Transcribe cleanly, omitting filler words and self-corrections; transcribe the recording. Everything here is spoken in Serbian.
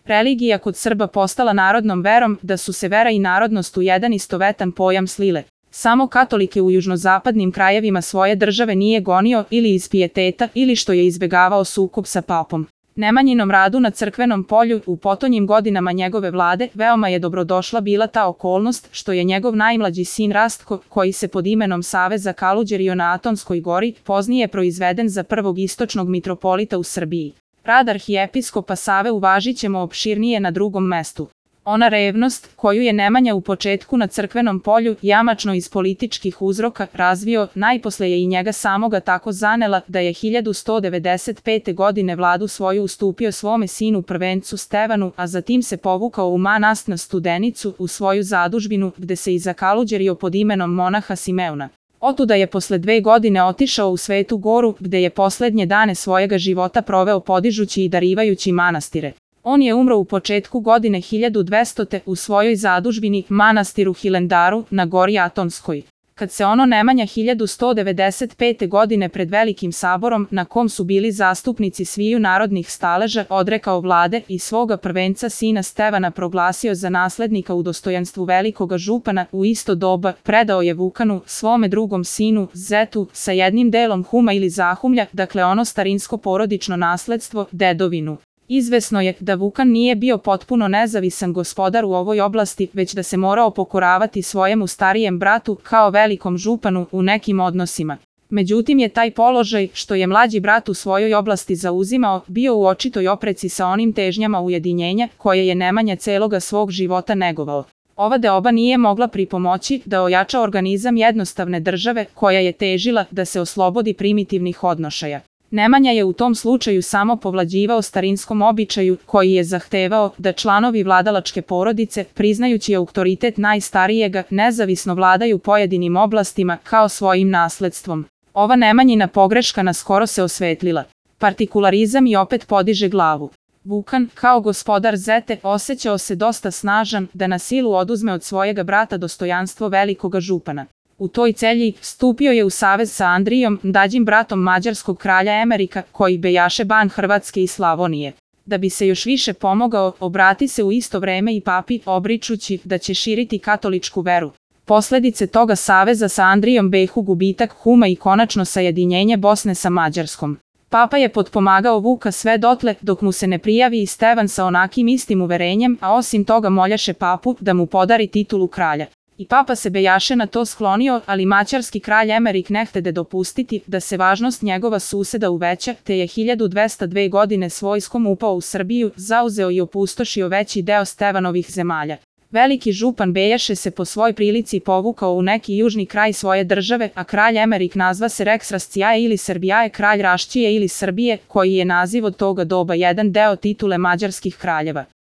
religija kod Srba postala narodnom verom, da su se vera i narodnost u jedan istovetan pojam slile. Samo katolike u južnozapadnim krajevima svoje države nije gonio ili iz pijeteta ili što je izbegavao sukob sa papom. Nemanjinom radu na crkvenom polju u potonjim godinama njegove vlade veoma je dobrodošla bila ta okolnost što je njegov najmlađi sin Rastko, koji se pod imenom Save zakaluđerio na Atonskoj gori, poznije proizveden za prvog istočnog mitropolita u Srbiji. Rad arhijepiskopa Save uvažit ćemo opširnije na drugom mestu. Ona revnost, koju je Nemanja u početku na crkvenom polju, jamačno iz političkih uzroka, razvio, najposle je i njega samoga tako zanela da je 1195. godine vladu svoju ustupio svome sinu prvencu Stevanu, a zatim se povukao u manast na Studenicu, u svoju zadužbinu, gde se i zakaluđerio pod imenom monaha Simeona. Otuda je posle 2 godine otišao u Svetu Goru, gde je poslednje dane svojega života proveo podižući i darivajući manastire. On je umro u početku godine 1200. u svojoj zadužbini, manastiru Hilandaru, na gori Atonskoj. Kad se ono Nemanja 1195. godine pred velikim saborom, na kom su bili zastupnici sviju narodnih staleža, odrekao vlade i svoga prvenca sina Stevana proglasio za naslednika u dostojanstvu velikoga župana, u isto doba predao je Vukanu, svome drugom sinu, Zetu, sa jednim delom huma ili zahumlja, dakle ono starinsko porodično nasledstvo, dedovinu. Izvesno je da Vukan nije bio potpuno nezavisan gospodar u ovoj oblasti, već da se morao pokoravati svojemu starijem bratu kao velikom županu u nekim odnosima. Međutim je taj položaj, što je mlađi brat u svojoj oblasti zauzimao, bio u očitoj opreci sa onim težnjama ujedinjenja koje je Nemanja celoga svog života negovao. Ova deoba nije mogla pripomoći da ojača organizam jednostavne države koja je težila da se oslobodi primitivnih odnošaja. Nemanja je u tom slučaju samo povlađivao starinskom običaju koji je zahtevao da članovi vladalačke porodice, priznajući autoritet najstarijega, nezavisno vladaju pojedinim oblastima kao svojim nasledstvom. Ova Nemanjina pogreška naskoro se osvetlila. Partikularizam i opet podiže glavu. Vukan, kao gospodar Zete, osjećao se dosta snažan da na silu oduzme od svojega brata dostojanstvo velikoga župana. U toj celji stupio je u savez sa Andrijom, mlađim bratom mađarskog kralja Emerika, koji bejaše ban Hrvatske i Slavonije. Da bi se još više pomogao, obrati se u isto vreme i papi, obričući da će širiti katoličku veru. Posledice toga saveza sa Andrijom behu gubitak huma i konačno sajedinjenje Bosne sa Mađarskom. Papa je potpomagao Vuka sve dotle dok mu se ne prijavi i Stevan sa onakim istim uverenjem, a osim toga moljaše papu da mu podari titulu kralja. I papa se bejaše na to sklonio, ali mađarski kralj Emerik ne htede dopustiti da se važnost njegova suseda uveća, te je 1202. godine s vojskom upao u Srbiju, zauzeo i opustošio veći deo Stevanovih zemalja. Veliki župan bejaše se po svoj prilici povukao u neki južni kraj svoje države, a kralj Emerik nazva se Rex Rascijae ili Srbijae, kralj Raščije ili Srbije, koji je naziv od toga doba jedan deo titule mađarskih kraljeva.